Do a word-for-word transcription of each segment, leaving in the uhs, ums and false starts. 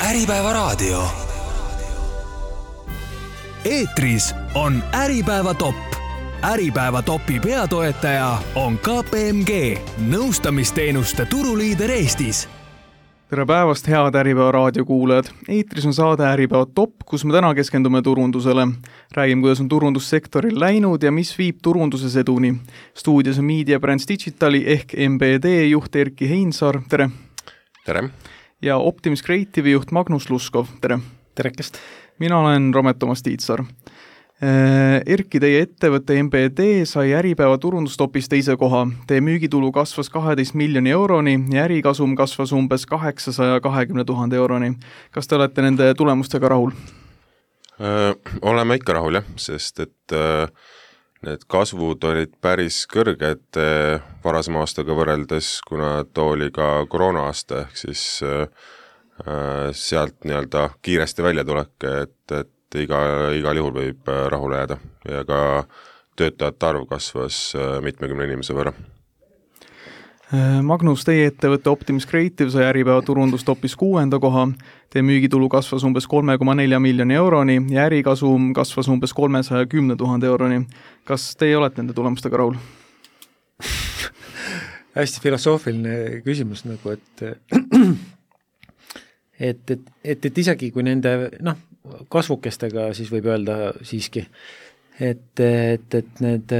Äripäeva raadio. Eetris on Äripäeva top. Äripäeva topi peatoetaja on K P M G, nõustamisteenuste turuliider Eestis. Tere päevast, head Äripäeva raadio kuulajad. Eetris on saade Äripäeva top, kus me täna keskendume turundusele. Räägime, kuidas on turundussektoril läinud ja mis viib turunduses eduni. Stuudios on Media Brands Digitali ehk M B D juht Erki Heinsaar. Tere! Tere! Ja Optimis Creative'i juht Magnus Luskov. Tere! Terekest! Mina olen Romet Toomas Tiitsar. Erki, teie ettevõtte M B D sai Äripäeva turundustopis teise koha. Teie müügitulu kasvas kaheteist miljoni euroni ja ärikasum kasvas umbes kaheksasaja kahekümne tuhande euroni. Kas te olete nende tulemustega rahul? Öö, oleme ikka rahul, jah, sest et öö, need kasvud olid päris kõrged öö, varasema aastaga võrreldes, kuna too oli ka koroona aasta, ehk siis öö, sealt nii-öelda kiiresti välja tulek, et, et iga, igal juhul võib rahule jääda ja ka töötajate arv kasvas mitmekümne inimese võrra. Magnus, teie ettevõtte Optimis Creative sai Äripäeva turundustopis kuuenda koha. Teie müügitulu kasvas umbes kolme koma nelja miljoni euroni ja ärikasum kasvas umbes kolmesaja kümne tuhande euroni. Kas teie olete nende tulemustega rahul? Hästi filosoofiline küsimus, nagu, et et, et, et, et isegi kui nende noh, kasvukestega siis võib öelda siiski, et, et, et need,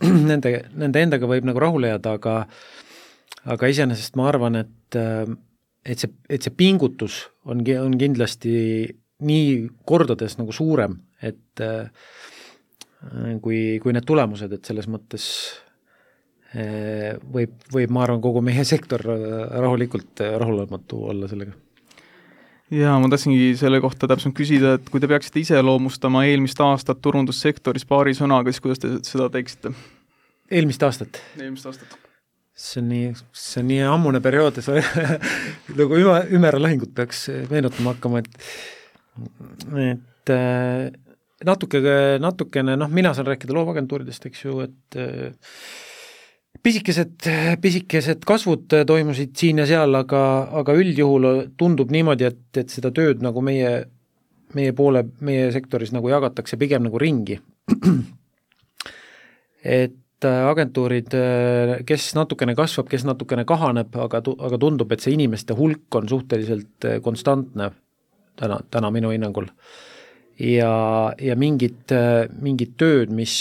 nende, nende endaga võib nagu rahule jääda, aga, aga iseenesest ma arvan, et, et, see, et see pingutus on, on kindlasti nii kordades nagu suurem, et kui, kui need tulemused, et selles mõttes võib, võib ma arvan, kogu meie sektor rahulikult rahulematu olla sellega. Ja ma tahtsingi selle kohta täpselt küsida, et kui te peaksite ise loomustama eelmist aastat turundussektoris paari sõnaga, siis kuidas te seda teeksite? Eelmist aastat? Eelmist aastat. See on nii, see on nii ammune periood, nagu ümera lahingut peaks meenutama hakkama, et, et natuke, natukene, noh, mina saan rääkida loovagentuuridest, eks ju, et Pisikesed, pisikesed kasvud toimusid siin ja seal, aga, aga üldjuhul tundub niimoodi, et, et seda tööd nagu meie, meie poole, meie sektoris nagu jagatakse pigem nagu ringi. Et agentuurid, kes natukene kasvab, kes natukene kahaneb, aga, aga tundub, et see inimeste hulk on suhteliselt konstantne täna, täna minu hinnangul. Ja, ja mingid, mingid tööd, mis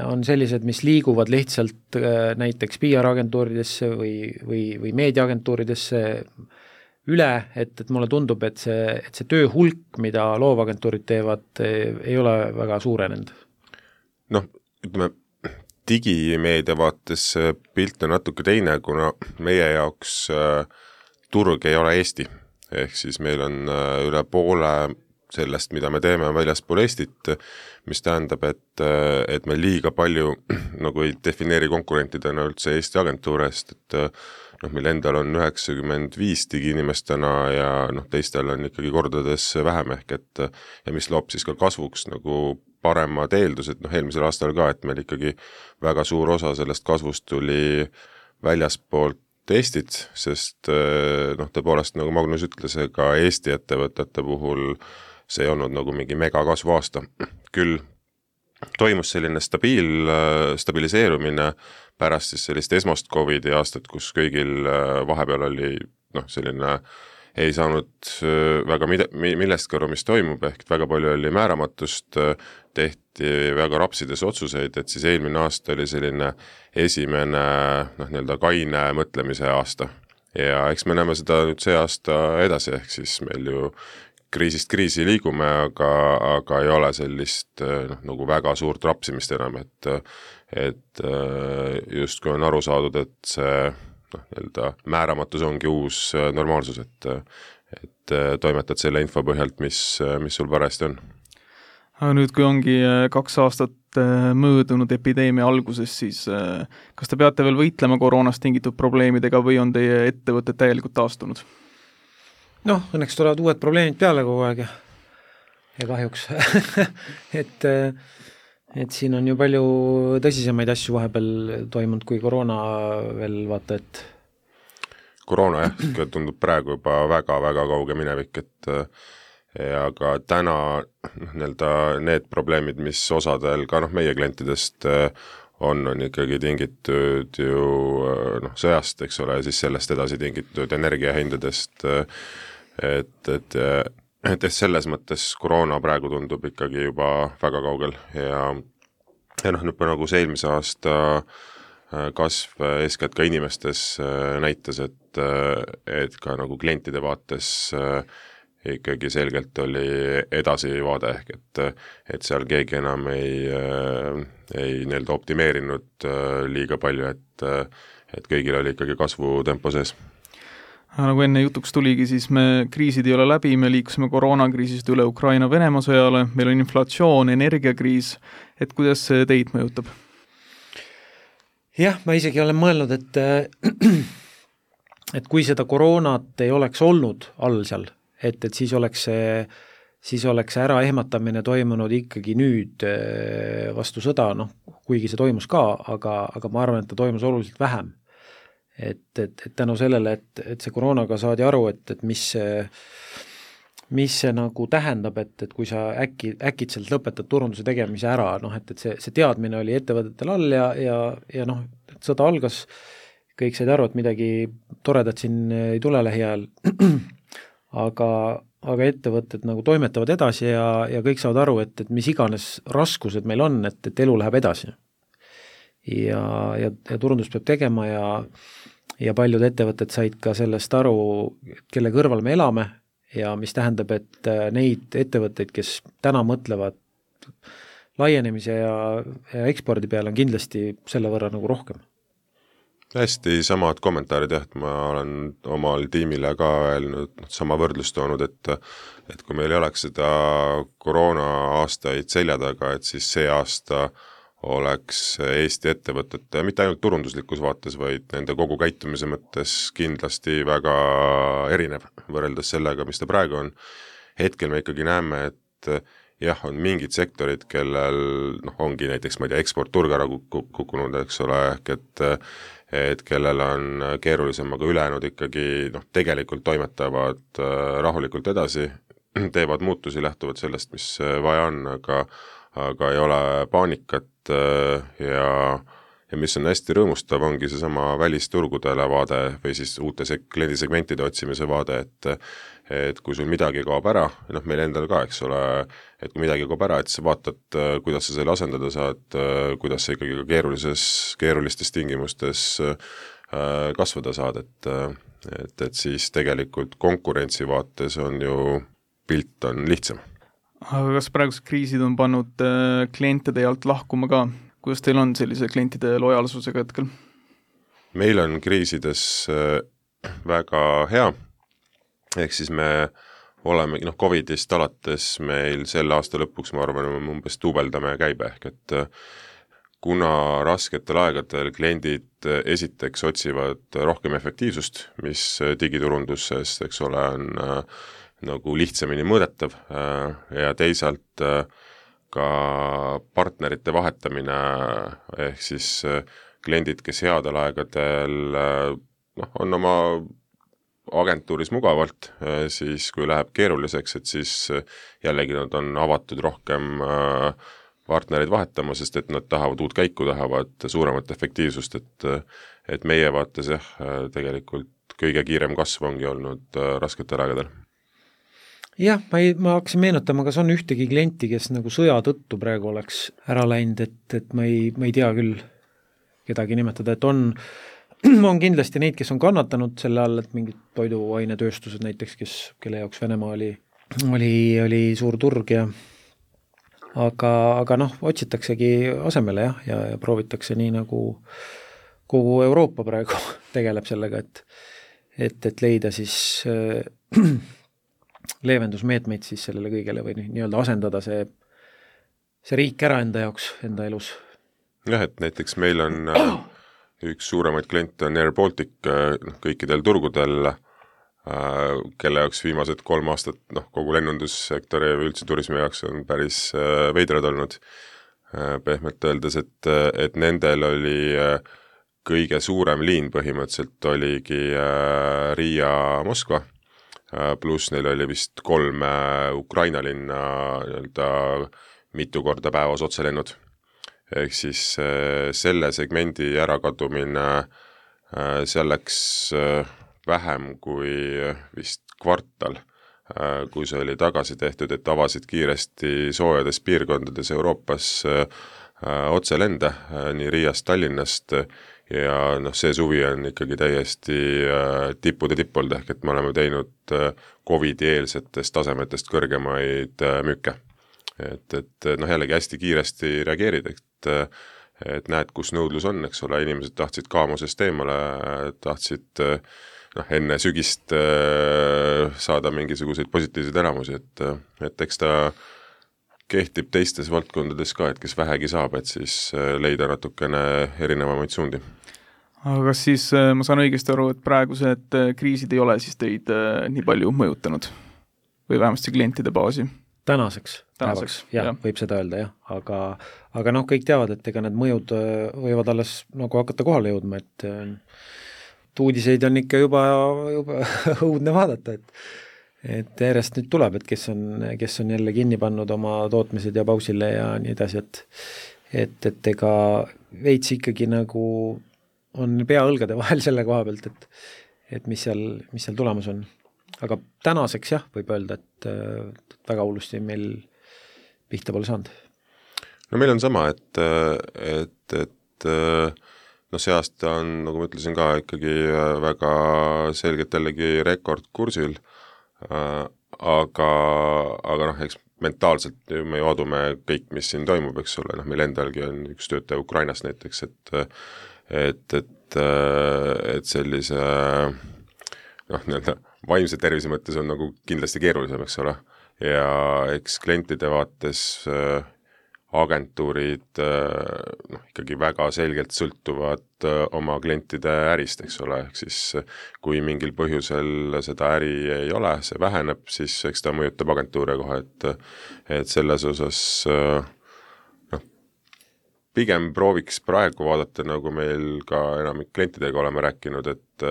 on sellised, mis liiguvad lihtsalt näiteks P R-agentuuridesse või, või, või meediaagentuuridesse üle, et, et mulle tundub, et see, et see töö hulk, mida loovagentuurid teevad, ei ole väga suurenenud. Noh, ütleme, digimeedia vaates pilt on natuke teine, kuna meie jaoks äh, turg ei ole Eesti. Ehk siis meil on äh, üle poole sellest, mida me teeme väljaspool Eestit, mis tähendab, et, et me liiga palju nagu ei defineeri konkurentidena üldse Eesti agentuurest, et noh, meil endal on üheksakümmend viis digiinimestena ja noh, teistel on ikkagi kordades vähem ehk, et ja mis loob siis ka kasvuks nagu paremad eeldused, noh, eelmisel aastal ka, et meil ikkagi väga suur osa sellest kasvust tuli väljaspoolt Eestit, sest noh, tõepoolest, nagu Magnus ütles, ka Eesti ettevõtete puhul see ei olnud nagu mingi megakasvu aasta. Küll toimus selline stabiil, stabiliseerumine pärast siis sellist esmast Covidi aastat, kus kõigil vahepeal oli noh, selline ei saanud väga millestki aru, mis toimub, ehk väga palju oli määramatust, tehti väga rapsides otsuseid, et siis eelmine aasta oli selline esimene noh, nii-öelda kaine mõtlemise aasta. Ja eks me näeme seda nüüd see aasta edasi, ehk siis meil ju kriisist kriisi liigume, aga, aga ei ole sellist noh, nagu väga suurt rapsimist enam, et, et just kui on aru saadud, et see noh, nii-öelda määramatus ongi uus normaalsus, et, et toimetad selle info põhjalt, mis, mis sul parajasti on. Aga nüüd, kui ongi kaks aastat möödunud epideemia alguses, siis kas te peate veel võitlema koroonast tingitud probleemidega või on teie ettevõtted täielikult taastunud? Noh, õnneks tulevad uued probleemid peale kogu aeg ja, ja kahjuks. et, et siin on ju palju tõsisemaid asju vahepeal toimunud kui koroona veel, vaata, et koroona jah, tundub praegu juba väga-väga kauge minevik, et ja ka täna nii-öelda need probleemid, mis osadel ka noh, meie klientidest on, on ikkagi tingitud ju noh, sõjast, eks ole, ja siis sellest edasi tingitud energiahindadest, et, et, et selles mõttes koroona praegu tundub ikkagi juba väga kaugel ja, ja noh, nüüd nagu see eelmise aasta kasv eeskätt ka inimestes näitas, et, et ka nagu klientide vaates ikkagi selgelt oli edasivaade ehk, et, et seal keegi enam ei, ei nii-öelda optimeerinud liiga palju, et, et kõigil oli ikkagi kasvutempo sees. Nagu enne jutuks tuligi, siis me kriisid ei ole läbi, me liikusime koroonakriisist üle Ukraina-Venemaa sõjale, meil on inflatsioon, energiakriis, et kuidas see teid mõjutab? Jah, ma isegi olen mõelnud, et, et kui seda koroonat ei oleks olnud all seal, et, et siis oleks see, siis oleks see äraehmatamine toimunud ikkagi nüüd vastu sõda, noh, kuigi see toimus ka, aga, aga ma arvan, et ta toimus oluliselt vähem. Et, et, et tänu sellele, et, et see koroonaga saadi aru, et, et mis see, mis see nagu tähendab, et, et kui sa äkki, äkitselt lõpetad turunduse tegemise ära, noh, et, et see, see teadmine oli ettevõtetel all ja, ja, ja noh, et sõda algas, kõik said aru, et midagi toredat siin ei tule lähiajal, aga, aga ettevõtted nagu toimetavad edasi ja, ja kõik saavad aru, et, et mis iganes raskused meil on, et, et elu läheb edasi. Ja, ja, ja turundus peab tegema ja, ja paljud ettevõtted said ka sellest aru, kelle kõrval me elame ja mis tähendab, et neid ettevõtteid, kes täna mõtlevad laienemise ja, ja ekspordi peale, on kindlasti selle võrra nagu rohkem. Hästi samad kommentaarid, jah, et ma olen omal tiimile ka öelnud, sama võrdlust toonud, et, et kui meil ei oleks seda koroona aastaid selja taga, et siis see aasta oleks Eesti ettevõtete, mitte ainult turunduslikus vaates, vaid nende kogu käitumise mõttes kindlasti väga erinev võrreldes sellega, mis ta praegu on. Hetkel me ikkagi näeme, et jah, on mingid sektorid, kellel noh, ongi näiteks, ma ei tea, eksport-turg ära kukkunud, eks ole, ehk et et kellel on keerulisem, aga ülejäänud ikkagi noh, tegelikult toimetavad rahulikult edasi, teevad muutusi, lähtuvad sellest, mis vaja on, aga, aga ei ole paanikat ja, ja mis on hästi rõõmustav, ongi seesama välisturgudele vaade või siis uute kliendisegmentide otsimise vaade, et et kui sul midagi kaob ära, noh meil endal ka, eks ole, et kui midagi kaob ära, et sa vaatad, kuidas sa selle asendada saad, kuidas sa ikkagi ka keerulises, keerulistes tingimustes kasvada saad, et, et, et siis tegelikult konkurentsi vaates on ju pilt on lihtsam. Aga kas praegused kriisid on pannud klientide alt lahkuma ka? Kuidas teil on sellise klientide lojaalsusega hetkel? Meil on kriisides väga hea, ehk siis me oleme, noh, Covidist alates meil selle aasta lõpuks, ma arvan, umbes duubeldame käibe, ehk et kuna rasketel aegadel kliendid esiteks otsivad rohkem efektiivsust, mis digiturunduses, eks ole, on äh, nagu lihtsamini mõõdetav äh, ja teisalt äh, ka partnerite vahetamine, ehk siis äh, kliendid, kes headel aegadel äh, noh, on oma agentuuris mugavalt, siis kui läheb keeruliseks, et siis jällegi nad on avatud rohkem partnereid vahetama, sest et nad tahavad uut käiku, tahavad suuremat efektiivsust, et, et meie vaates jah, tegelikult kõige kiirem kasv ongi olnud rasketel aegadel. Jah, ma, ei, ma hakkasin meenutama, kas on ühtegi klienti, kes nagu sõja tõttu praegu oleks ära läinud, et, et ma, ei, ma ei tea küll kedagi nimetada, et on on kindlasti neid, kes on kannatanud selle all, et mingid toiduainetööstused näiteks, kes, kelle jaoks Venemaa oli, oli, oli suur turg ja aga, aga noh, otsitaksegi asemele jah, ja, ja proovitakse nii nagu kogu Euroopa praegu tegeleb sellega, et, et, et leida siis äh, leevendusmeetmeid siis sellele kõigele või nii-öelda asendada see, see riik ära enda jaoks, enda elus. Jah, et näiteks meil on äh, üks suuremaid kliente on Air Baltic kõikidel turgudel, kelle jaoks viimased kolm aastat, noh, kogu lennundussektori ja üldse turismi jaoks on päris veidrad olnud, pehmelt öeldes, et, et nendel oli kõige suurem liin põhimõtteliselt oligi Riia-Moskva, pluss neil oli vist kolm Ukraina linna nii-öelda mitu korda päevas otselennud. Ehk siis selle segmendi ärakadumine seal läks vähem kui vist kvartal, kui see oli tagasi tehtud, et avasid kiiresti soojades piirkondades Euroopas otselende nii Riiast, Tallinnast ja noh, see suvi on ikkagi täiesti tippude tippuld, ehk et me oleme teinud COVID-i-eelsetest tasemetest kõrgemaid müüke. Et, et noh, jällegi hästi kiiresti reageerid, et, et näed, kus nõudlus on, eks ole, inimesed tahtsid kaamusest eemale, tahtsid noh, enne sügist saada mingisuguseid positiivseid elamusi, et, et eks ta kehtib teistes valdkondades ka, et kes vähegi saab, et siis leida natukene erinevamaid suundi. Aga kas siis ma saan õigesti aru, et praegused kriisid ei ole siis teid nii palju mõjutanud või vähemasti klientide baasi? Tänaseks, Tänaseks jah, jah, võib seda öelda, jah, aga, aga noh, kõik teavad, et ega need mõjud võivad alles nagu hakata kohale jõudma, et uudiseid on ikka juba, juba õudne vaadata, et et järjest nüüd tuleb, et kes on, kes on jälle kinni pannud oma tootmised ja pausile ja nii edasi, et et, et ega veits ikkagi nagu on pea õlgade vahel selle koha pealt, et, et mis seal, mis seal tulemus on. Aga tänaseks jah, võib öelda, et, et väga hullusti meil pihta pole saanud. No meil on sama, et, et, et no see aasta on, nagu ma ütlesin ka, ikkagi väga selgelt jällegi rekordkursil, aga, aga noh, eks mentaalselt me ju adume kõik, mis siin toimub, eks ole, noh, meil endalgi on üks töötaja Ukrainast näiteks, et et, et, et sellise noh, nii-öelda vaimse tervise mõttes on nagu kindlasti keerulisem, eks ole, ja eks klientide vaates agentuurid noh, ikkagi väga selgelt sõltuvad oma klientide ärist, eks ole, ehk siis kui mingil põhjusel seda äri ei ole, see väheneb, siis eks ta mõjutab agentuure kohe, et, et selles osas noh, pigem prooviks praegu vaadata, nagu meil ka enamik klientidega oleme rääkinud, et,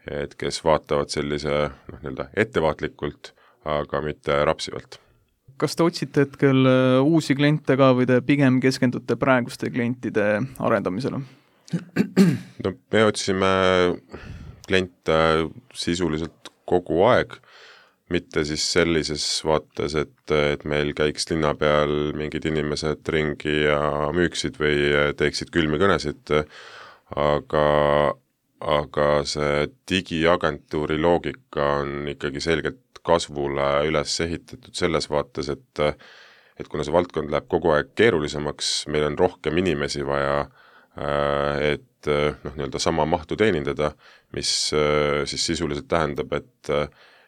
et kes vaatavad sellise noh, nii-öelda ettevaatlikult, aga mitte rapsivalt. Kas te otsite hetkel uusi kliente ka või te pigem keskendute praeguste klientide arendamisele? No me otsime kliente sisuliselt kogu aeg, mitte siis sellises vaates, et, et meil käiks linna peal mingid inimesed ringi ja müüksid või teeksid külmi kõnesid, aga, aga see digiagentuuri loogika on ikkagi selgelt kasvule üles ehitatud selles vaates, et, et kuna see valdkond läheb kogu aeg keerulisemaks, meil on rohkem inimesi vaja, et noh, nii-öelda sama mahtu teenindada, mis siis sisuliselt tähendab, et,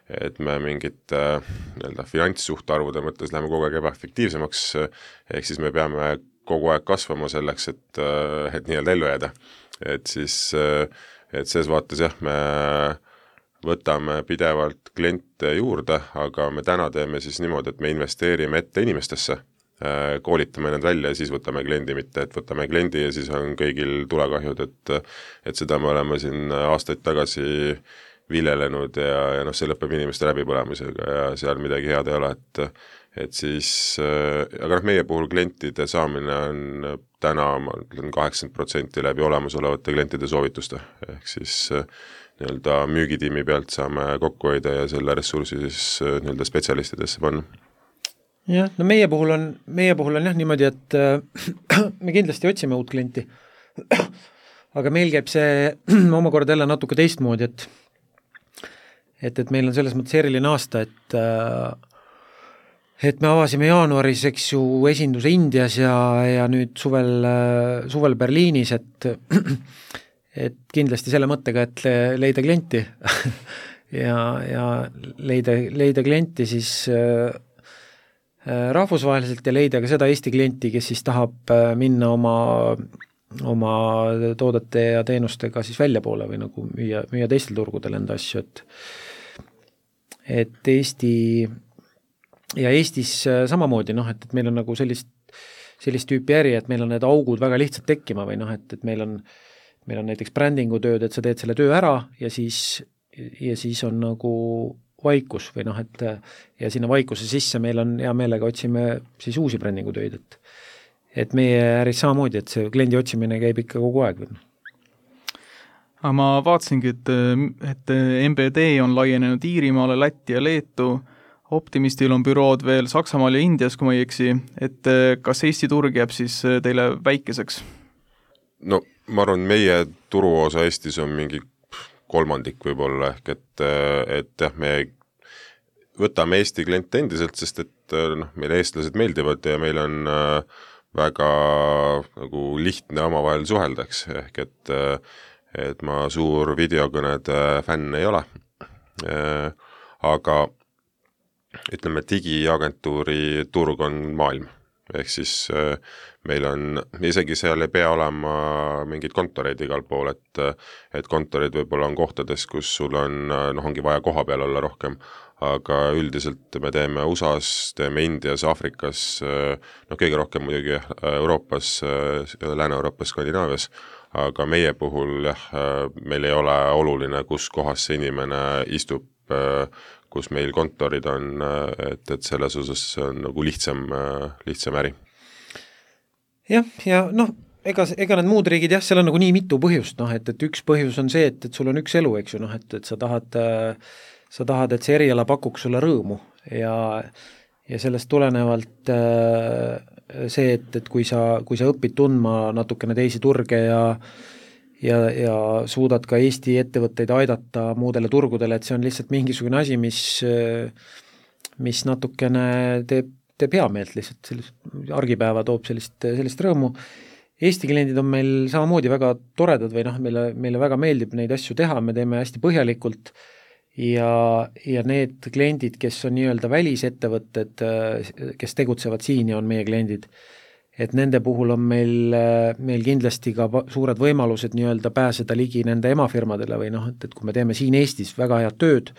et me mingite nii-öelda finantssuhtarvude mõttes läheme kogu aeg ebaefektiivsemaks, ehk siis me peame kogu aeg kasvama selleks, et, et nii-öelda ellu jääda. Et siis, et selles vaates jah, me võtame pidevalt kliente juurde, aga me täna teeme siis niimoodi, et me investeerime ette inimestesse, koolitame nad välja ja siis võtame kliendi, mitte et võtame kliendi ja siis on kõigil tulekahjud, et, et seda me oleme siin aastaid tagasi viljelenud ja, ja noh, see lõpeb inimeste läbipõlemisega ja seal midagi head ei ole, et, et siis, aga noh, meie puhul klientide saamine on täna, ma ütlen, kaheksakümmend protsenti läbi olemasolevate klientide soovituste, ehk siis nii-öelda müügitiimi pealt saame kokku hoida ja selle ressursi siis nii-öelda spetsialistidesse panna. Jah, no meie puhul on, meie puhul on jah niimoodi, et äh, me kindlasti otsime uut klienti, aga meil käib see omakorda jälle natuke teistmoodi, et et, et meil on selles mõttes eriline aasta, et äh, et me avasime jaanuaris, eks ju, esinduse Indias ja, ja nüüd suvel, suvel Berliinis, et et kindlasti selle mõttega, et leida klienti ja, ja leida, leida klienti siis äh, rahvusvaheliselt ja leida ka seda Eesti klienti, kes siis tahab minna oma, oma toodete ja teenustega siis väljapoole või nagu müüa, müüa teistel turgudel enda asju, et et Eesti ja Eestis samamoodi, noh, et, et meil on nagu sellist, sellist tüüpi äri, et meil on need augud väga lihtsalt tekkima või noh, et, et meil on meil on näiteks brändingu tööd, et sa teed selle töö ära ja siis, ja siis on nagu vaikus või noh, et ja sinna vaikuse sisse meil on hea meelega otsime siis uusi brändingu tööd, et et meie äris samamoodi, et see kliendi otsimine käib ikka kogu aeg. Aga ma vaatasingi, et, et M B D on laienenud Iirimaale, Lätti ja Leetu, Optimistil on bürood veel Saksamaal ja Indias, kui ma ei eksi, et kas Eesti turg jääb siis teile väikeseks? No ma arvan, meie turuosa Eestis on mingi kolmandik võib-olla, ehk et, et jah, me võtame Eesti kliente endiselt, sest et noh, meile eestlased meeldivad ja meil on väga nagu lihtne omavahel suheldaks, ehk et, et ma suur videokõnede fänn ei ole. Aga ütleme, digiagentuuri turg on maailm. Ehk siis meil on, isegi seal ei pea olema mingid kontoreid igal pool, et, et kontorid võib-olla on kohtades, kus sul on, noh, ongi vaja koha peal olla rohkem, aga üldiselt me teeme U S A-s, teeme Indias, Afrikas, noh, kõige rohkem muidugi Euroopas, Lääne-Euroopas, Skandinaavias, aga meie puhul jah, meil ei ole oluline, kus kohas see inimene istub, kus meil kontorid on, et, et selles osas on nagu lihtsam, lihtsam äri. Jah, ja noh, ega, ega need muud riigid, jah, seal on nagu nii mitu põhjust, noh, et, et üks põhjus on see, et, et sul on üks elu, eks ju, noh, et, et sa tahad sa tahad, et see eriala pakuks sulle rõõmu ja, ja sellest tulenevalt see, et, et kui sa, kui sa õpid tundma natukene teisi turge ja, ja, ja suudad ka Eesti ettevõtteid aidata muudele turgudele, et see on lihtsalt mingisugune asi, mis, mis natukene teeb, teeb hea meelt lihtsalt, sellist argipäeva toob sellist, sellist rõõmu. Eesti kliendid on meil samamoodi väga toredad või noh, meile, meile väga meeldib neid asju teha, me teeme hästi põhjalikult ja, ja need kliendid, kes on nii-öelda välisettevõtted, kes tegutsevad siin ja on meie kliendid, et nende puhul on meil, meil kindlasti ka suured võimalused nii-öelda pääseda ligi nende emafirmadele või noh, et, et kui me teeme siin Eestis väga head tööd,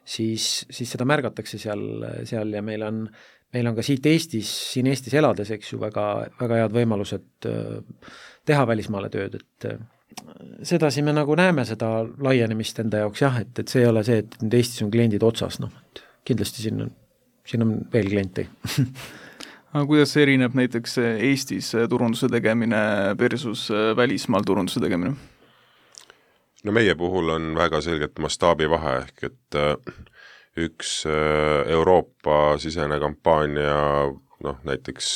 siis, siis seda märgatakse seal, seal ja meil on, meil on ka siit Eestis, siin Eestis elades, eks ju, väga, väga head võimalused teha välismaale tööd, et sedasi me nagu näeme seda laienemist enda jaoks jah, et, et see ei ole see, et nüüd Eestis on kliendid otsas, noh, et kindlasti siin on, siin on veel kliente. Aga kuidas erineb näiteks Eestis turunduse tegemine versus välismaal turunduse tegemine? No meie puhul on väga selgelt mastaabi vahe, ehk et üks Euroopa sisene kampaania, noh, näiteks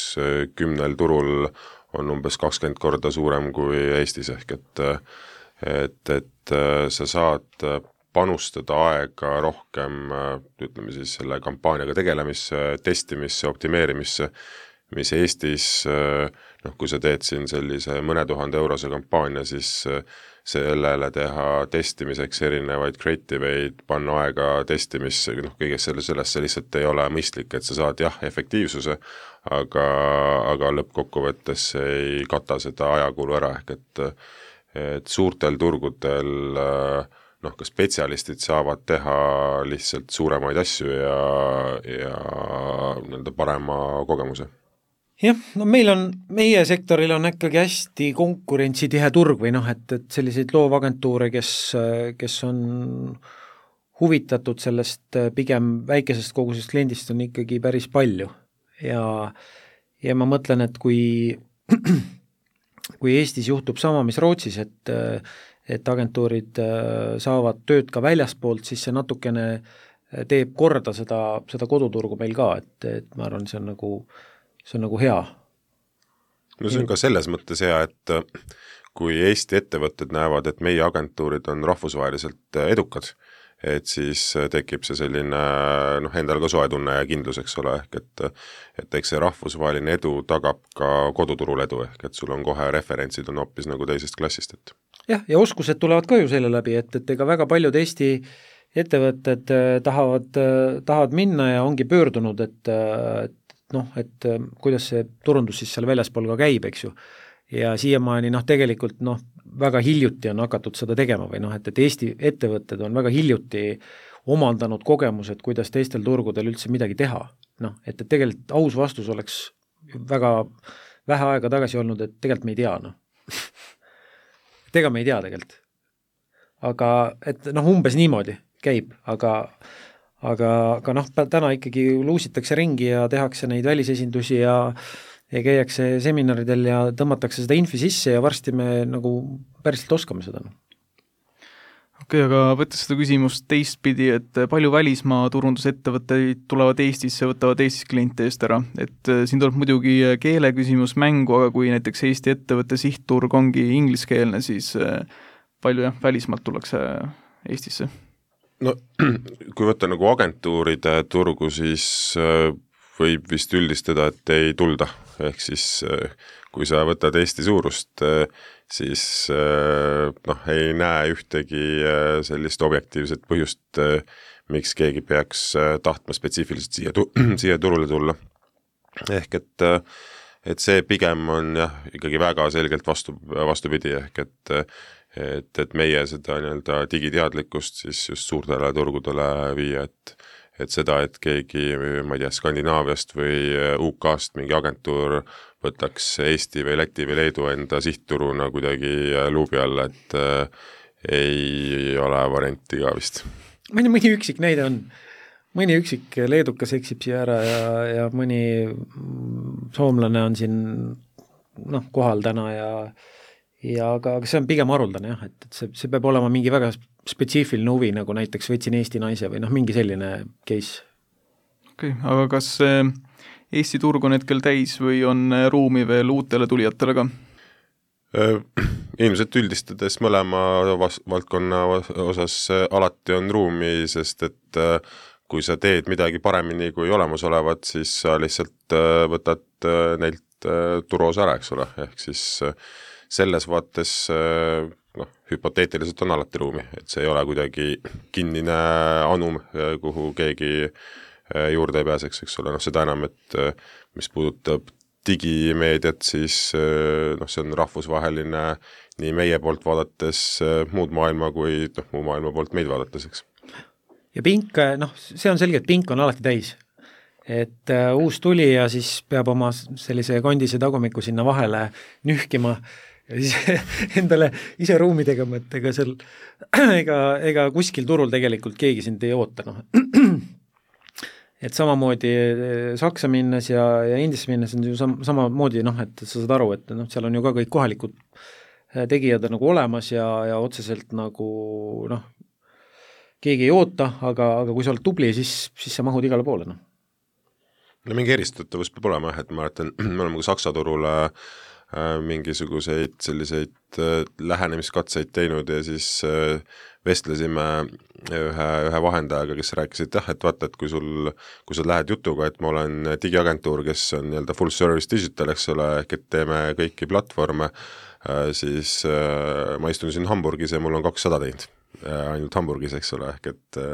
kümnel turul on umbes kakskümmend korda suurem kui Eestis, ehk et, et, et sa saad panustada aega rohkem, ütleme siis selle kampaaniaga tegelemisse, testimisse, optimeerimisse, mis Eestis, noh, kui sa teed siin sellise mõne tuhande eurose kampaania, siis sellele teha testimiseks erinevaid creativeid, panna aega testimisse, noh, kõigest selle, sellesse lihtsalt ei ole mõistlik, et sa saad jah, efektiivsuse, aga, aga lõppkokkuvõttes ei kata seda ajakulu ära, ehk et, et suurtel turgudel noh, ka spetsialistid saavad teha lihtsalt suuremaid asju ja, ja nii-öelda parema kogemuse. Jah, no meil on, meie sektoril on ikkagi hästi konkurentsitihe turg või noh, et, et selliseid loovagentuure, kes, kes on huvitatud sellest pigem väikesest kogusest kliendist on ikkagi päris palju ja, ja ma mõtlen, et kui, kui Eestis juhtub sama, mis Rootsis, et, et agentuurid saavad tööd ka väljaspoolt, siis see natukene teeb korda seda, seda koduturgu meil ka, et, et ma arvan, see on nagu see on nagu hea. No see on ka selles mõttes hea, et kui Eesti ettevõtted näevad, et meie agentuurid on rahvusvaheliselt edukad, et siis tekib see selline, noh, endal ka soe tunne ja kindlus, eks ole, ehk et, et eks see rahvusvaheline edu tagab ka koduturul edu, ehk et sul on kohe referentsid on hoopis nagu teisest klassist. Et. jah, ja oskused tulevad ka ju selle läbi, et, et ega väga paljud Eesti ettevõtted tahavad, tahavad minna ja ongi pöördunud, et, et noh, et kuidas see turundus siis seal väljaspool ka käib, eks ju. Ja siiamaani noh, tegelikult noh, väga hiljuti on hakatud seda tegema või noh, et, et Eesti ettevõtted on väga hiljuti omandanud kogemused, kuidas teistel turgudel üldse midagi teha. Noh, et, et tegelikult aus vastus oleks väga vähe aega tagasi olnud, et tegelikult me ei tea, noh. et ega me ei tea tegelikult. Aga, et noh, umbes niimoodi käib, aga aga, aga noh, täna ikkagi luusitakse ringi ja tehakse neid välisesindusi ja, ja käiakse seminaridel ja tõmmatakse seda infi sisse ja varsti me nagu päriselt oskame seda. Okei, okay, aga võttes seda küsimust teistpidi, et palju välismaa turundusettevõtteid tulevad Eestisse, võtavad Eestis kliente eest ära, et siin tuleb muidugi keele küsimus mängu, aga kui näiteks Eesti ettevõtte sihtturg ongi ingliskeelne, siis palju jah, välismaalt tullakse Eestisse? No kui võtta nagu agentuuride turgu, siis võib vist üldistada, et ei tulda. Ehk siis kui sa võtad Eesti suurust, siis noh, ei näe ühtegi sellist objektiivset põhjust, miks keegi peaks tahtma spetsiifiliselt siia, tu- siia turule tulla. Ehk et, et see pigem on jah, ikkagi väga selgelt vastu, vastupidi, ehk et et, et meie seda nii-öelda digiteadlikkust siis just suurtele turgudele viia, et, et seda, et keegi, ma ei tea, Skandinaaviast või U K-st mingi agentuur võtaks Eesti või Läti või Leedu enda sihtturuna kuidagi luubi alla, et äh, ei ole varianti ka vist. Mõni, mõni üksik näide on, mõni üksik leedukas eksib siia ära ja, ja mõni soomlane on siin noh, kohal täna ja ja aga, aga see on pigem haruldane jah, et, et see, see peab olema mingi väga spetsiifiline huvi, nagu näiteks võtsin Eesti naise või noh, mingi selline case. Okei, okay, aga kas Eesti turg on hetkel täis või on ruumi veel uutele tulijatele ka? Ilmselt üldistades mõlema valdkonna osas alati on ruumi, sest et kui sa teed midagi paremini kui olemasolevat, siis sa lihtsalt võtad neilt turuosa ära, eks ole, ehk siis selles vaates noh, hüpoteetiliselt on alati ruumi, et see ei ole kuidagi kinnine anum, kuhu keegi juurde ei pääseks, eks ole, noh seda enam, et mis puudutab digimeediat, siis noh, see on rahvusvaheline nii meie poolt vaadates muud maailma kui noh, muu maailma poolt meid vaadates, eks. Ja pink, noh, see on selge, et pink on alati täis. Et uh, uus tuli ja siis peab oma sellise kondise tagumiku sinna vahele nühkima ja siis endale ise ruumi tegema, et ega seal ega, ega kuskil turul tegelikult keegi sind ei oota, noh. Et samamoodi Saksa minnes ja, ja Indiasse minnes on ju sam, samamoodi, noh, et sa saad aru, et noh, seal on ju ka kõik kohalikud tegijad nagu olemas ja, ja otseselt nagu noh, keegi ei oota, aga, aga kui sa oled tubli, siis, siis sa mahud igale poole, noh. No mingi eristatavus peab olema, et ma mäletan, me oleme ka Saksa turule äh, mingisuguseid selliseid äh, lähenemiskatseid teinud ja siis äh, vestlesime ühe, ühe vahendajaga, kes rääkis, et jah, et vaata, et kui sul, kui sa lähed jutuga, et ma olen digiagentuur, kes on nii-öelda full service digital, eks ole, ehk et teeme kõiki platvorme, äh, siis äh, ma istun siin Hamburgis ja mul on kakssada teinud äh, ainult Hamburgis, eks ole, ehk et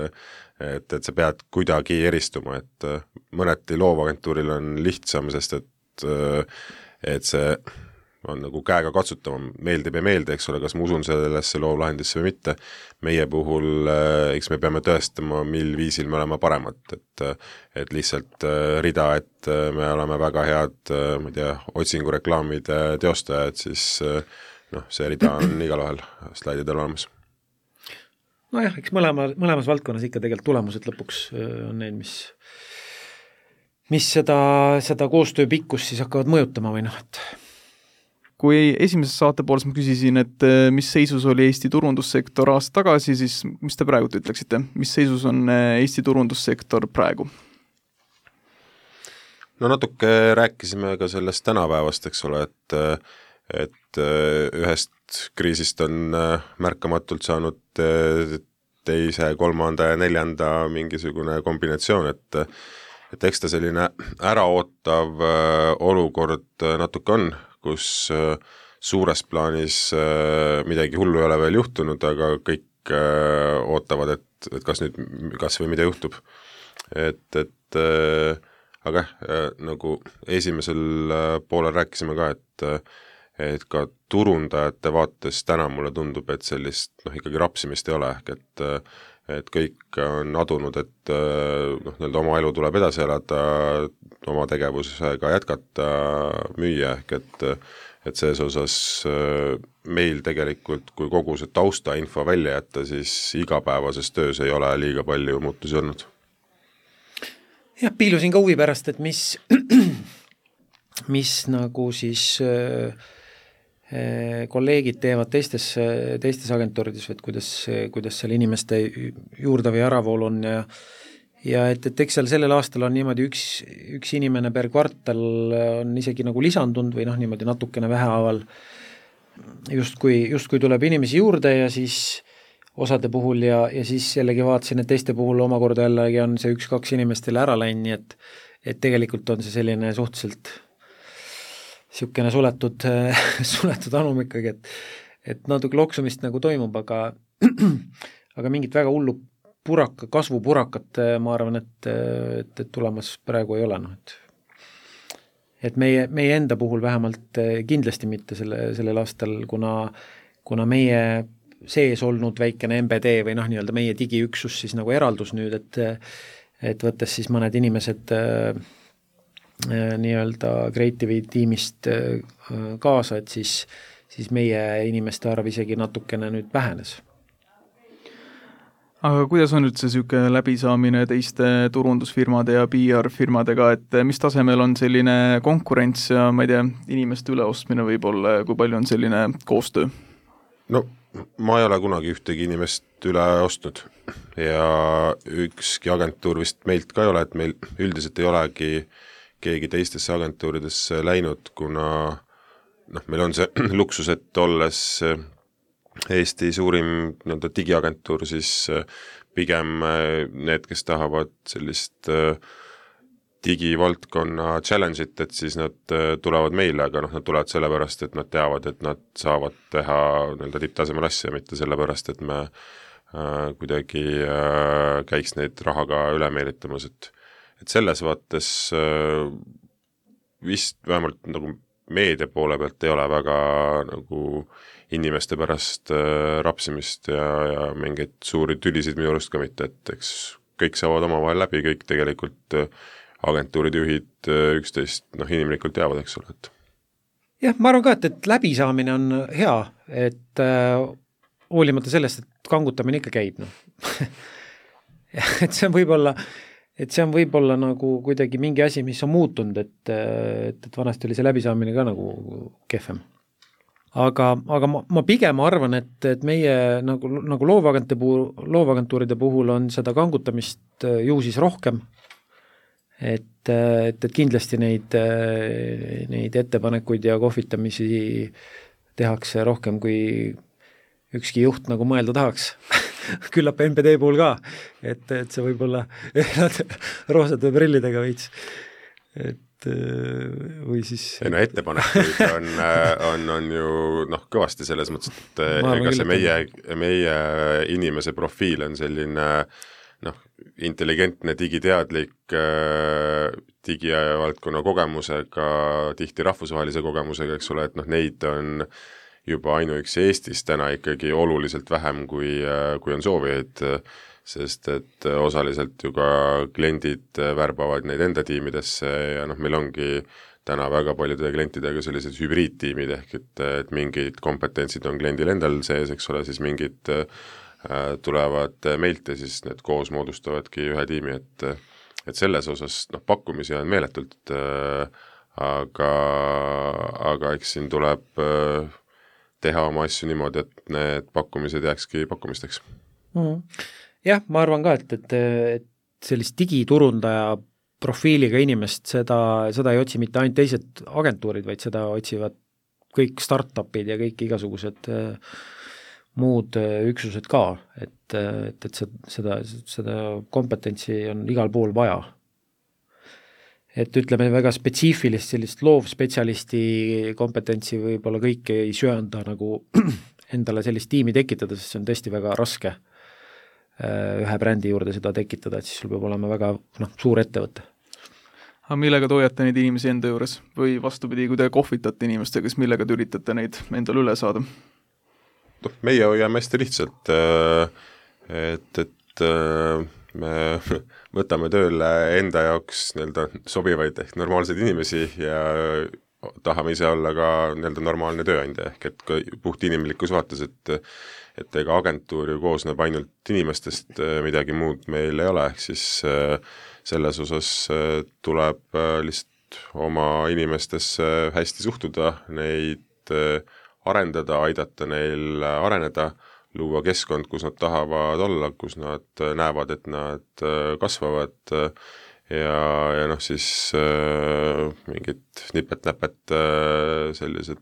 et, et sa pead kuidagi eristuma, et mõneti loovagentuuril on lihtsam, sest et, et see on nagu käega katsutavam, meeldib ja meeldi, eks ole, kas ma usun sellesse loovlahendisse või mitte. Meie puhul, eks me peame tõestama, mil viisil me oleme paremad, et, et lihtsalt rida, et me oleme väga head, ma ei tea, otsingureklaamide teostajad, siis noh, see rida on igal vahel slaididel olemas. Nojah, eks mõlema, mõlemas valdkonnas ikka tegelikult tulemused lõpuks on need, mis, mis seda, seda koostöö pikkus siis hakkavad mõjutama või noh, et kui esimeses saate pooles ma küsisin, et mis seisus oli Eesti turundussektor aasta tagasi, siis mis te praegu ütleksite? Mis seisus on Eesti turundussektor praegu? No natuke rääkisime ka sellest tänapäevast, eks ole, et, et ühest kriisist on märkamatult saanud teise, kolmanda ja neljanda mingisugune kombinatsioon, et, et eks ta selline äraootav olukord natuke on, kus suures plaanis midagi hullu ei ole veel juhtunud, aga kõik ootavad, et, et kas nüüd, kas või mida juhtub. Et, et aga nagu esimesel poolel rääkisime ka, et et ka turundajate vaates täna mulle tundub, et sellist noh, ikkagi rapsimist ei ole, ehk et, et kõik on adunud, et noh, nii-öelda oma elu tuleb edasi elada, oma tegevusega jätkata, müüa, ehk et, et selles osas meil tegelikult, kui kogu see taustainfo välja jätta, siis igapäevases töös ei ole liiga palju muutusi olnud. Jah, piilusin ka huvi pärast, et mis, mis nagu siis äh, kolleegid teevad teistes, teistes agentuurides, et kuidas, kuidas seal inimeste juurde või äravool on ja ja et, et eks seal sellel aastal on niimoodi üks, üks inimene per kvartal on isegi nagu lisandunud või noh, niimoodi natukene vähehaaval justkui, justkui tuleb inimesi juurde ja siis osade puhul ja, ja siis jällegi vaatasin, et teiste puhul omakorda jällegi on see üks-kaks inimestele ära läinud, nii et, et tegelikult on see selline suhteliselt niisugune suletud, suletud anum ikkagi, et, et natuke loksumist nagu toimub, aga, aga mingit väga hullu puraka, kasvupurakat, ma arvan, et, et, et tulemas praegu ei ole, noh, et et meie, meie enda puhul vähemalt kindlasti mitte selle, sellel aastal, kuna, kuna meie sees olnud väikene M B D või noh, nii-öelda meie digiüksus siis nagu eraldus nüüd, et et võttes siis mõned inimesed äh, nii-öelda Creative'i tiimist äh, kaasa, et siis, siis meie inimeste arv isegi natukene nüüd vähenes. Aga kuidas on nüüd see süke läbisaamine teiste turundusfirmade ja P R-firmadega, et mis tasemel on selline konkurents ja ma ei tea, inimeste üleostmine võib-olla, kui palju on selline koostöö? No ma ei ole kunagi ühtegi inimest üle ostnud ja ükski agentuur vist meilt ka ei ole, et meil üldiselt ei olegi keegi teistesse agentuuridesse läinud, kuna noh, meil on see luksus, et olles Eesti suurim nii-öelda digiagentuur, siis pigem need, kes tahavad sellist digivaldkonna challenge'it, et siis nad tulevad meile, aga noh, nad tulevad sellepärast, et nad teavad, et nad saavad teha nii-öelda tipptasemel asja, mitte sellepärast, et me äh, kuidagi äh, käiks neid rahaga üle meelitamas, et, et selles vaates äh, vist vähemalt nagu meedia poole pealt ei ole väga nagu inimeste pärast äh, rapsimist ja, ja mingeid suuri tülisid minu arust ka mitte, et eks kõik saavad omavahel läbi, kõik tegelikult äh, agentuuride juhid äh, üksteist noh, inimlikult teavad, eks ole, et jah, ma arvan ka, et, et läbisaamine on hea, et äh, hoolimata sellest, et kangutamine ikka käib, noh. et see on võib-olla et see on võib-olla nagu kuidagi mingi asi, mis on muutunud, et, et, et vanasti oli see läbisaamine ka nagu kehvem. Aga, aga ma, ma pigem arvan, et, et meie nagu, nagu loovagente puhul, loovagentuuride puhul on seda kangutamist ju siis rohkem, et, et, et kindlasti neid, neid ettepanekuid ja kohvitamisi tehakse rohkem, kui ükski juht nagu mõelda tahaks. Küllap M B D puhul ka, et, et see võib olla roosade prillidega veits, et või siis ei no ettepanekuid on, on, on ju noh, kõvasti selles mõttes, et ega see meie, meie inimese profiil on selline noh, intelligentne, digiteadlik digivaldkonna kogemusega, tihti rahvusvahelise kogemusega, eks ole, et noh, neid on juba ainuüksi Eestis täna ikkagi oluliselt vähem, kui, kui on soovijaid, sest et osaliselt ju ka kliendid värbavad neid enda tiimidesse ja noh, meil ongi täna väga paljude klientidega sellised hübriidtiimid, ehk et, et mingid kompetentsid on kliendil endal sees, eks ole, siis mingid äh, tulevad meilt ja siis need koos moodustavadki ühe tiimi, et, et selles osas noh, pakkumisi on meeletult, äh, aga, aga eks siin tuleb äh, teha oma asju niimoodi, et need pakkumised jääkski pakkumisteks. Mm-hmm. Jah, ma arvan ka, et, et, et sellist digiturundaja profiiliga inimest, seda, seda ei otsi mitte ainult teised agentuurid, vaid seda otsivad kõik startupid ja kõik igasugused äh, muud äh, üksused ka, et, et, et seda, seda kompetentsi on igal pool vaja. Et ütleme väga spetsiifilist sellist loovspetsialisti kompetentsi võib-olla kõik ei söanda nagu endale sellist tiimi tekitada, sest see on tõesti väga raske ühe brändi juurde seda tekitada, et siis sul peab olema väga noh, suur ettevõte. Aga millega te hoiate neid inimesi enda juures? Või vastupidi, kui te kohvitate inimestega, siis millega te üritate neid endale üle saada? No, meie hoiame hästi lihtsalt, et, et me võtame tööle enda jaoks nii-öelda sobivaid ehk normaalseid inimesi ja tahame ise olla ka nii-öelda normaalne tööandja, ehk et ka puht inimlikus vaates, et et ega agentuur ju koosneb ainult inimestest, midagi muud meil ei ole, ehk siis selles osas tuleb lihtsalt oma inimestesse hästi suhtuda, neid arendada, aidata neil areneda, luua keskkond, kus nad tahavad olla, kus nad näevad, et nad kasvavad ja, ja noh, siis äh, mingid nipet-näpet äh, sellised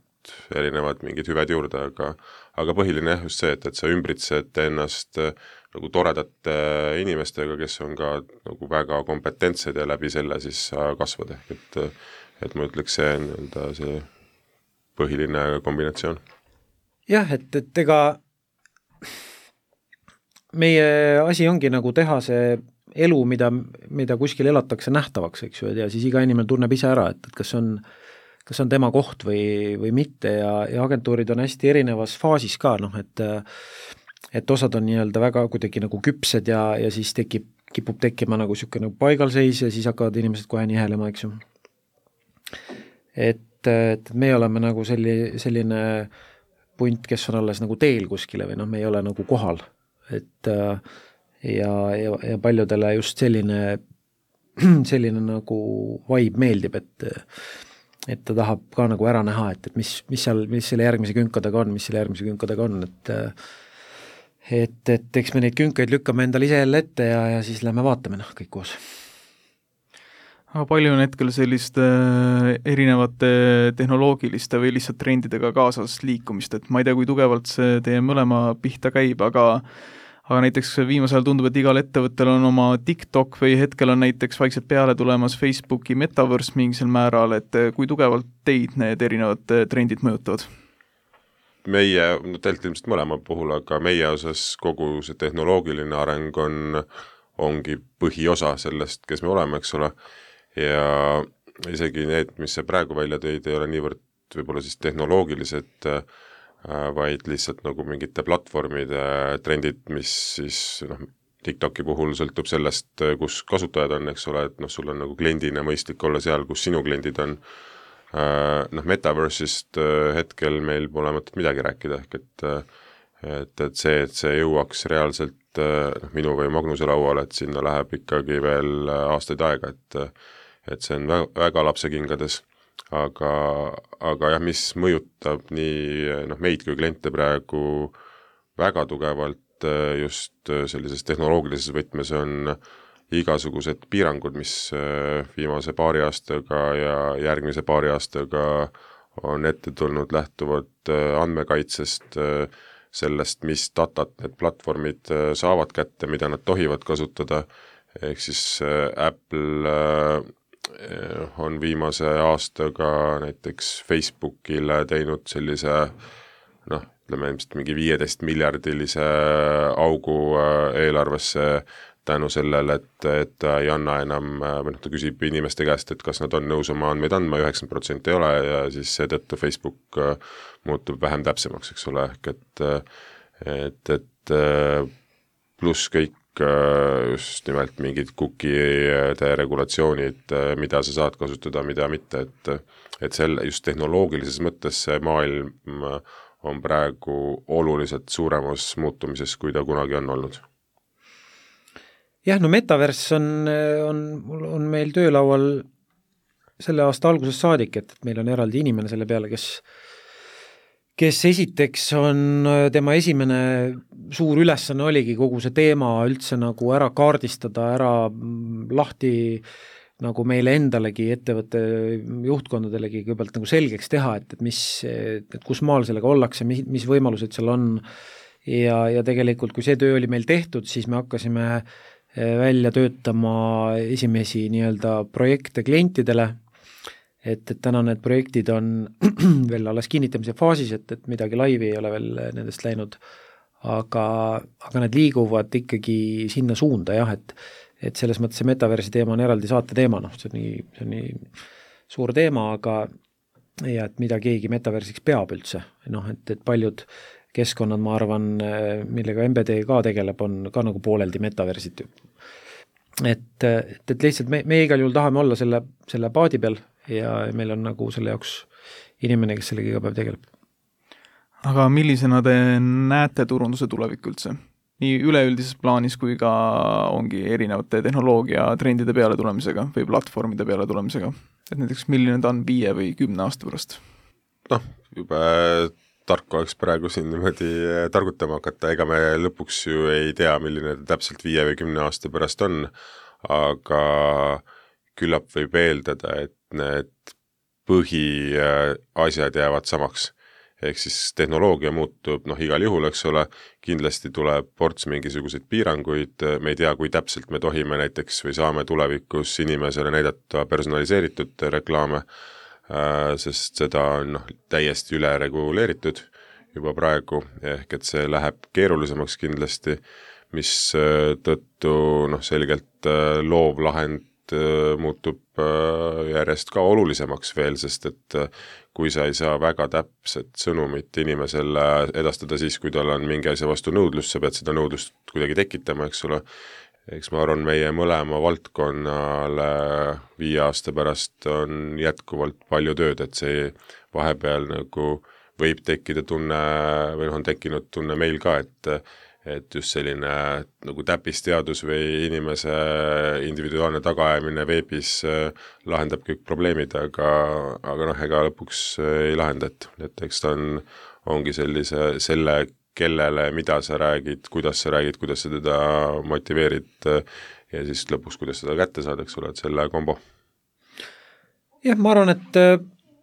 erinevad mingid hüved juurde, aga aga põhiline jah just see, et, et sa ümbritsed ennast äh, nagu toredate inimestega, kes on ka nagu väga kompetentsed ja läbi selle siis sa kasvad, ehk et, et ma ütleks, see on nii-öelda see põhiline kombinatsioon. Jah, et, et ega meie asi ongi nagu teha see elu, mida, mida kuskil elatakse nähtavaks, eks ju, ja siis iga inimene tunneb ise ära, et, et kas on, kas on tema koht või, või mitte ja, ja agentuurid on hästi erinevas faasis ka, noh, et et osad on nii-öelda väga kuidagi nagu küpsed ja, ja siis tekib, kipub tekkima nagu niisugune nagu paigalseis ja siis hakkavad inimesed kohe nihelema, eks ju. Et, et me oleme nagu selli, selline punt, kes on alles nagu teel kuskile või noh, me ei ole nagu kohal, et ja, ja, ja paljudele just selline, selline nagu vibe meeldib, et et ta tahab ka nagu ära näha, et, et mis, mis seal, mis selle järgmise künkadega on, mis selle järgmise künkadega on, et et, et eks me neid künkaid lükkame endale ise jälle ette ja, ja siis lähme vaatame, noh, kõik koos. Aga palju on hetkel selliste erinevate tehnoloogiliste või lihtsalt trendidega kaasas liikumist, et ma ei tea, kui tugevalt see teie mõlema pihta käib, aga aga näiteks viimasel tundub, et igal ettevõttel on oma TikTok või hetkel on näiteks vaikselt peale tulemas Facebooki metaverse mingisel määral, et kui tugevalt teid need erinevad trendid mõjutavad? Meie, no tegelikult ilmselt mõlema puhul, aga meie osas kogu see tehnoloogiline areng on, ongi põhiosa sellest, kes me oleme, eks ole, ja isegi need, mis see praegu välja tõid, ei ole niivõrd võib-olla siis tehnoloogilised, vaid lihtsalt nagu mingite platvormide trendid, mis siis noh, TikToki puhul sõltub sellest, kus kasutajad on, eks ole, et noh, sul on nagu kliendina mõistlik olla seal, kus sinu kliendid on. Noh, metaverse'ist hetkel meil pole mõtet midagi rääkida, ehk et, et, et see, et see jõuaks reaalselt noh, minu või Magnuse lauale, et sinna läheb ikkagi veel aastaid aega, et, et see on väga, väga lapsekingades. Aga, aga jah, mis mõjutab nii noh, meid kui kliente praegu väga tugevalt just sellises tehnoloogilises võtmes on igasugused piirangud, mis viimase paari aastaga ja järgmise paari aastaga on ette tulnud, lähtuvad andmekaitsest, sellest, mis datat need platvormid saavad kätte, mida nad tohivad kasutada, ehk siis Apple on viimase aastaga näiteks Facebookile teinud sellise noh, ütleme ilmselt mingi viieteist miljardilise augu eelarvesse tänu sellele, et, et ta ei anna enam, või noh, ta küsib inimeste käest, et kas nad on nõus oma andmeid andma, üheksakümmend protsenti ei ole ja siis seetõttu Facebook muutub vähem täpsemaks, eks ole, ehk et, et, et pluss kõik just nimelt mingid cookie'de regulatsioonid, mida sa saad kasutada, mida mitte, et, et selle just tehnoloogilises mõttes see maailm on praegu oluliselt suuremas muutumises, kui ta kunagi on olnud. Jah, no metaverse on, on, on meil töölaual selle aasta algusest saadik, et meil on eraldi inimene selle peale, kes kes esiteks on tema esimene suur ülesanne oligi kogu see teema üldse nagu ära kaardistada, ära lahti nagu meile endalegi, ettevõtte juhtkondadalegi kõigepealt nagu selgeks teha, et, et mis, et kus maal sellega ollakse, mis, mis võimalused seal on ja, ja tegelikult kui see töö oli meil tehtud, siis me hakkasime välja töötama esimesi nii-öelda projekte klientidele, et, et täna need projektid on veel alles kinnitamise faasis, et, et midagi laivi ei ole veel nendest läinud, aga, aga need liiguvad ikkagi sinna suunda jah, et, et selles mõttes see metaversi teema on eraldi saate teema, noh, see on nii, see on nii suur teema, aga ja et mida keegi metaversiks peab üldse, noh, et, et paljud keskkonnad, ma arvan, millega M B D ka tegeleb, on ka nagu pooleldi metaversid. Et, et, et lihtsalt me, me igal juhul tahame olla selle, selle paadi peal ja meil on nagu selle jaoks inimene, kes sellega iga päev tegeleb. Aga millisena te näete turunduse tulevik üldse? Nii üleüldises plaanis kui ka ongi erinevate tehnoloogia trendide peale tulemisega või platvormide peale tulemisega. Et näiteks milline ta on viie või kümne aasta pärast? Noh, juba tark oleks praegu siin niimoodi targutama hakata, ega me lõpuks ju ei tea, milline ta täpselt viie või kümne aasta pärast on, aga küllap võib eeldada, et need põhiasjad jäävad samaks. Ehk siis tehnoloogia muutub, noh igal juhul, eks ole, kindlasti tuleb ports mingisuguseid piiranguid, me ei tea, kui täpselt me tohime näiteks või saame tulevikus inimesele näidata personaliseeritud reklaame, sest seda on noh, täiesti üle reguleeritud juba praegu, ehk et see läheb keerulisemaks kindlasti, mis tõttu noh, selgelt loov lahend muutub järjest ka olulisemaks veel, sest et kui sa ei saa väga täpset sõnumit inimesele edastada siis, kui tal on mingi asja vastu nõudlus, sa pead seda nõudlust kuidagi tekitama, eks ole. Eks ma arvan, meie mõlema valdkonnale viie aasta pärast on jätkuvalt palju tööd, et see vahepeal nagu võib tekkida tunne või on tekkinud tunne meil ka, et et just selline nagu täppisteadus või inimese individuaalne tagaajamine veebis lahendab kõik probleemid, aga, aga noh, ega lõpuks ei lahenda, et, et eks ta on, ongi sellise, selle, kellele, mida sa räägid, kuidas sa räägid, kuidas sa teda motiveerid ja siis lõpuks, kuidas seda kätte saad, eks ole, et selle kombo. Jah, ma arvan, et,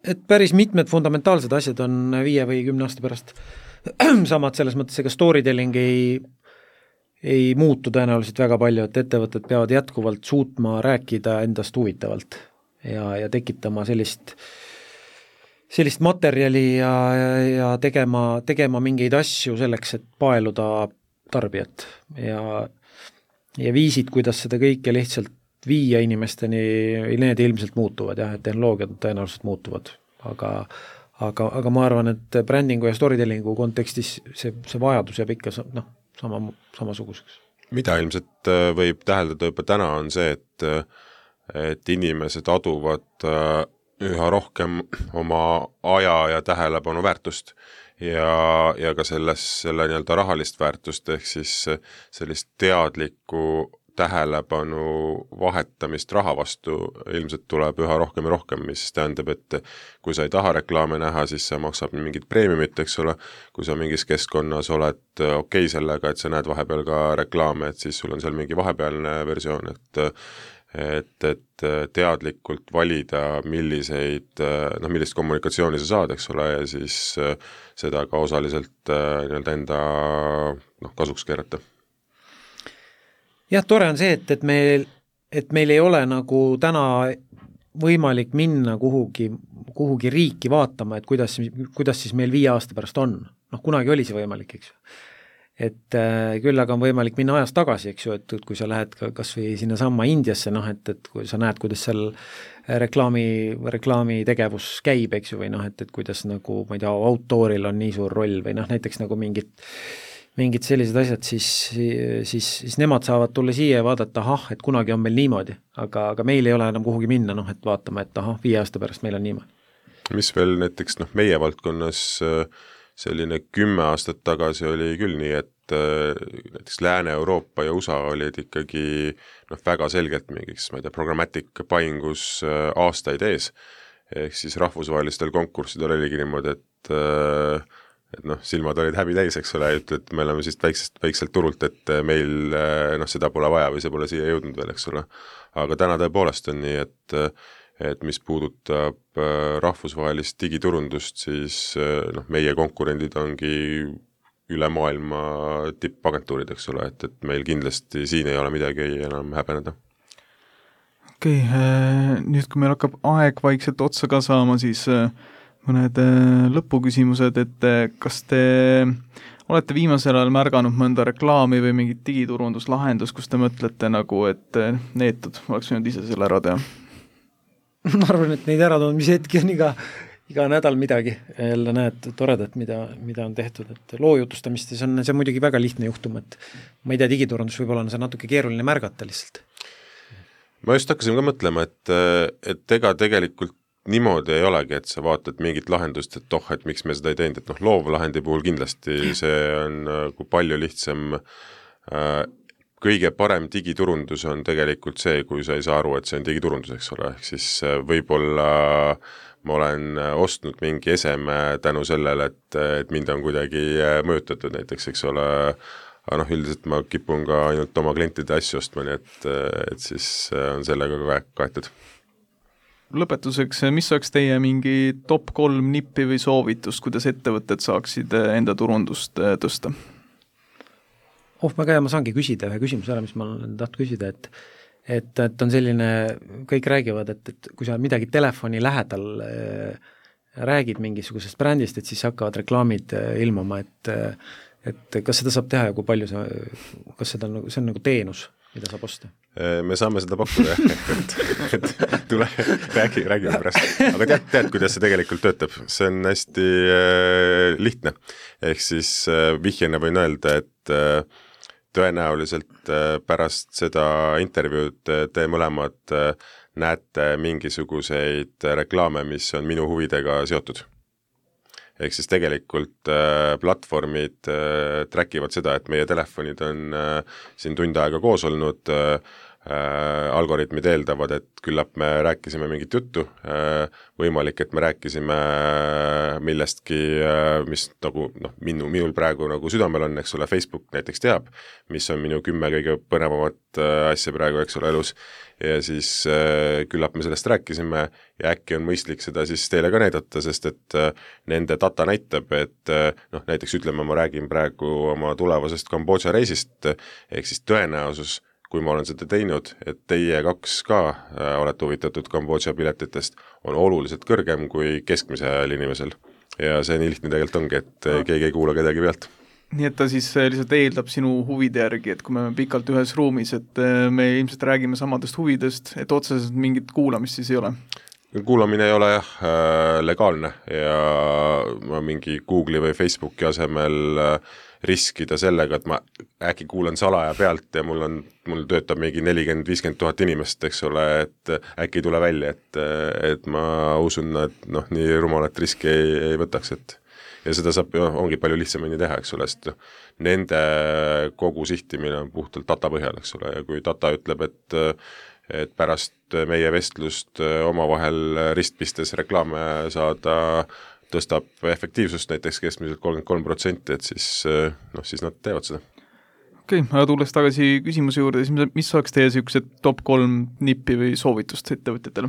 et päris mitmed fundamentaalsed asjad on viie või kümne aasta pärast samad selles mõttes, ega storytelling ei, ei muutu tõenäoliselt väga palju, et ettevõtted peavad jätkuvalt suutma rääkida endast huvitavalt ja, ja tekitama sellist, sellist materjali ja, ja tegema, tegema mingeid asju selleks, et paeluda tarbijat ja, ja viisid, kuidas seda kõike lihtsalt viia inimesteni, need ilmselt muutuvad jah, et tehnoloogiad tõenäoliselt muutuvad, aga Aga, aga ma arvan, et brändingu ja storytellingu kontekstis see, see vajadus jääb ikka noh, sama, samasuguseks. Mida ilmselt võib täheldada juba täna on see, et, et inimesed aduvad üha rohkem oma aja ja tähelepanu väärtust ja, ja ka selles, selle nii-öelda rahalist väärtust ehk siis sellist teadlikku tähelepanu vahetamist raha vastu ilmselt tuleb üha rohkem ja rohkem, mis tähendab, et kui sa ei taha reklaame näha, siis sa maksab mingit preemiumit, eks ole, kui sa mingis keskkonnas oled okei okay sellega, et sa näed vahepeal ka reklaame, et siis sul on seal mingi vahepealne versioon, et et, et teadlikult valida, milliseid, noh, millist kommunikatsiooni sa saad, eks ole, ja siis seda ka osaliselt nii-öelda enda noh, kasuks keerata. Jah, tore on see, et, et, meil, et meil ei ole nagu täna võimalik minna kuhugi, kuhugi riiki vaatama, et kuidas, kuidas siis meil viie aasta pärast on. Noh, kunagi oli see võimalik, eks ju. Et äh, küll aga on võimalik minna ajas tagasi, eks ju, et, et kui sa lähed ka kas või sinna samma Indiasse, noh, et, et kui sa näed, kuidas seal reklaami, reklaami tegevus käib, eks ju, või noh, et, et kuidas nagu, ma ei tea, outdooril on nii suur roll või noh, näiteks nagu mingid mingid sellised asjad, siis, siis, siis nemad saavad tulla siia ja vaadata, ahah, et kunagi on meil niimoodi, aga, aga meil ei ole enam kuhugi minna, noh, et vaatama, et ahah, viie aasta pärast meil on niimoodi. Mis veel näiteks, noh, meie valdkonnas selline kümme aastat tagasi oli küll nii, et näiteks Lääne-Euroopa ja U S A olid ikkagi noh, väga selgelt mingiks, ma ei tea, programmatic paingus aastaid ees, ehk siis rahvusvahelistel konkurssidel oligi niimoodi, et et noh, silmad olid häbi täis, eks ole, et me oleme siis väiksest, väikselt turult, et meil noh, seda pole vaja või see pole siia jõudnud veel, eks ole. Aga täna tõepoolest on nii, et, et mis puudutab rahvusvahelist digiturundust, siis noh, meie konkurendid ongi üle maailma tippagentuurid, eks ole, et, et meil kindlasti siin ei ole midagi enam häbeneda. Okei, okay, nüüd kui meil hakkab aeg vaikselt otsa ka saama, siis mõned lõpuküsimused, et kas te olete viimasel ajal märganud mõnda reklaami või mingit digiturunduslahendus, kus te mõtlete nagu, et neetud, oleks võinud ise selle ära teha? Ma arvan, et neid äratundmise hetki on iga, iga nädal midagi. Jälle näed toredat, mida, mida on tehtud, et loojutustamist, see on, see on muidugi väga lihtne juhtum, et ma ei tea, digiturundus võib-olla on see natuke keeruline märgata lihtsalt. Ma just hakkasin ka mõtlema, et, et ega tegelikult niimoodi ei olegi, et sa vaatad mingit lahendust, et oh, et miks me seda ei teinud, et noh, loovlahendi puhul kindlasti see on nagu palju lihtsam. Kõige parem digiturundus on tegelikult see, kui sa ei saa aru, et see on digiturundus, eks ole, ehk siis võib-olla ma olen ostnud mingi eseme tänu sellele, et, et mind on kuidagi mõjutatud näiteks, eks ole, aga noh, üldiselt ma kipun ka ainult oma klientide asju ostma, nii et, et siis on sellega ka kaetud. Lõpetuseks, mis oleks teie mingi top kolm nippi või soovitust, kuidas ettevõtted saaksid enda turundust tõsta? Oh, väga hea, ma saangi küsida ühe küsimuse ära, mis ma olen tahtnud küsida, et, et, et on selline, kõik räägivad, et, et kui sa midagi telefoni lähedal äh, räägid mingisugusest brändist, et siis hakkavad reklaamid äh, ilmuma, et, et kas seda saab teha ja kui palju see, kas seda on, see on nagu teenus, mida saab osta? Me saame seda pakkuda, et, et tule, räägi, räägi pärast. Aga tead, tead, kuidas see tegelikult töötab? See on hästi äh, lihtne. Ehk siis äh, vihjena võin öelda, et äh, tõenäoliselt äh, pärast seda intervjuud te mõlemad äh, näete mingisuguseid reklaame, mis on minu huvidega seotud. Ehk siis tegelikult äh, platvormid äh, trackivad seda, et meie telefonid on äh, siin tund aega koos olnud, äh, äh, algoritmid eeldavad, et küllap me rääkisime mingit juttu, äh, võimalik, et me rääkisime millestki, äh, mis nagu, noh, minu, minul praegu nagu südamel on, eks ole, Facebook näiteks teab, mis on minu kümme kõige põnevamat äh, asja praegu, eks ole, elus, ja siis äh, küllap me sellest rääkisime ja äkki on mõistlik seda siis teile ka näidata, sest et äh, nende data näitab, et äh, noh, näiteks ütleme, ma räägin praegu oma tulevasest Kambodža reisist, ehk siis tõenäosus, kui ma olen seda teinud, et teie kaks ka äh, olete huvitatud Kambodža piletitest, on oluliselt kõrgem kui keskmise ajal inimesel. Ja see nii lihtne tegelikult ongi, et äh, keegi ei kuula kedagi pealt. Nii et ta siis lihtsalt eeldab sinu huvide järgi, et kui me oleme pikalt ühes ruumis, et me ilmselt räägime samadest huvidest, et otseselt mingit kuulamist siis ei ole? Kuulamine ei ole jah legaalne ja ma mingi Google'i või Facebooki asemel riskida sellega, et ma äkki kuulan salaja pealt ja mul on, mul töötab mingi nelikümmend viiskümmend tuhat inimest, eks ole, et äkki ei tule välja, et, et ma usun, et noh, nii rumalat riski ei, ei võtaks, et ja seda saab, ongi palju lihtsamini teha, eks ole, sest nende kogu sihtimine on puhtalt data põhjal, eks ole, ja kui data ütleb, et, et pärast meie vestlust omavahel ristpistes reklaame saada, tõstab efektiivsust näiteks keskmiselt kolmkümmend kolm protsenti, et siis, noh, siis nad teevad seda. Okei, okay, aga tulles tagasi küsimuse juurde, siis mis oleks teie niisugused top kolm nippi või soovitust ettevõtjatele?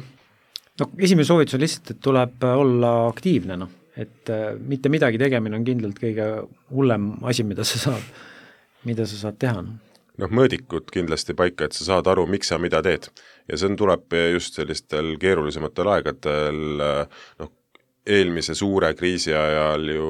No esimene soovitus on lihtsalt, et tuleb olla aktiivne, noh. Et äh, mitte midagi tegemine on kindlalt kõige hullem asi, mida sa saad, mida sa saad teha. Noh, mõõdikud kindlasti paika, et sa saad aru, miks sa mida teed. Ja see tuleb just sellistel keerulisematel aegadel, noh, eelmise suure kriisi ajal ju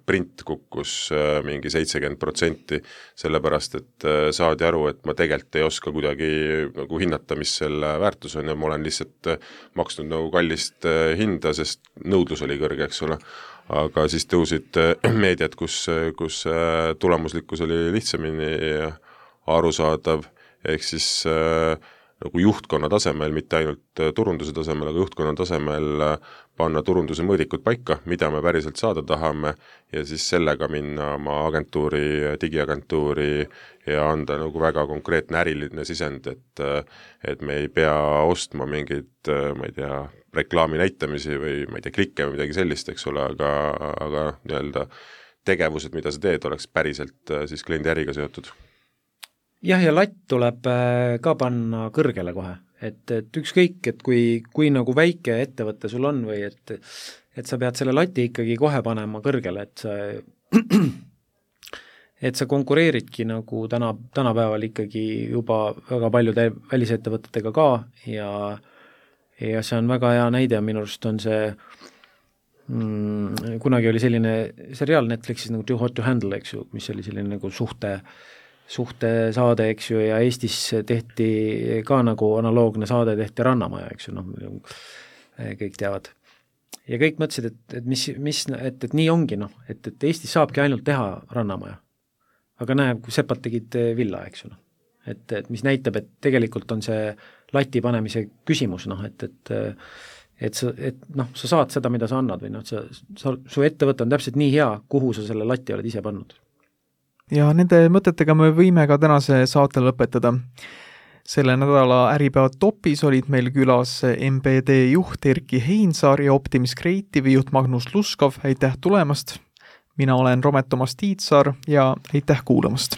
print kukkus mingi seitsekümmend protsenti, sellepärast, et saadi aru, et ma tegelikult ei oska kuidagi nagu hinnata, mis selle väärtus on ja ma olen lihtsalt maksnud nagu kallist hinda, sest nõudlus oli kõrge, eks ole. Aga siis tõusid meediat, kus, kus tulemuslikkus oli lihtsamini arusaadav, ehk siis nagu juhtkonna tasemel, mitte ainult turunduse tasemel, aga juhtkonna tasemel panna turunduse mõõdikud paika, mida me päriselt saada tahame ja siis sellega minna oma agentuuri, digiagentuuri ja anda nagu väga konkreetne äriline sisend, et, et me ei pea ostma mingeid, ma ei tea, reklaami näitamisi või ma ei tea, klikke või midagi sellist, eks ole, aga, aga nii-öelda tegevused, mida sa teed, oleks päriselt siis kliendi äriga seotud. Jah, ja latt tuleb ka panna kõrgele kohe, et, et ükskõik, et kui, kui nagu väike ettevõte sul on või et, et sa pead selle lati ikkagi kohe panema kõrgele, et sa, et sa konkureeridki nagu täna, tänapäeval ikkagi juba väga paljude välisettevõtetega ka ja, ja see on väga hea näide, minu arust on see mm, kunagi oli selline seriaal Netflixis nagu Too Hot to Handle, eks ju, mis oli selline nagu suhte suhte saade, eks ju, ja Eestis tehti ka nagu analoogne saade, tehti Rannamaja, eks ju, noh, kõik teavad. Ja kõik mõtlesid, et, et mis, mis, et, et nii ongi, noh, et, et Eestis saabki ainult teha Rannamaja. Aga näeb, kui sepad tegid villa, eks ju, noh. Et, et mis näitab, et tegelikult on see lati panemise küsimus, noh, et, et et sa, et noh, sa saad seda, mida sa annad või noh, sa, sa, su ettevõte on täpselt nii hea, kuhu sa selle lati oled ise pannud. Ja nende mõtetega me võime ka tänase saate lõpetada. Selle nädala Äripäeva topis olid meil külas M B D juht Erki Heinsaar ja Optimis Creative'i juht Magnus Luskov. Aitäh tulemast! Mina olen Romet Toomas Tiitsaar ja aitäh kuulamast!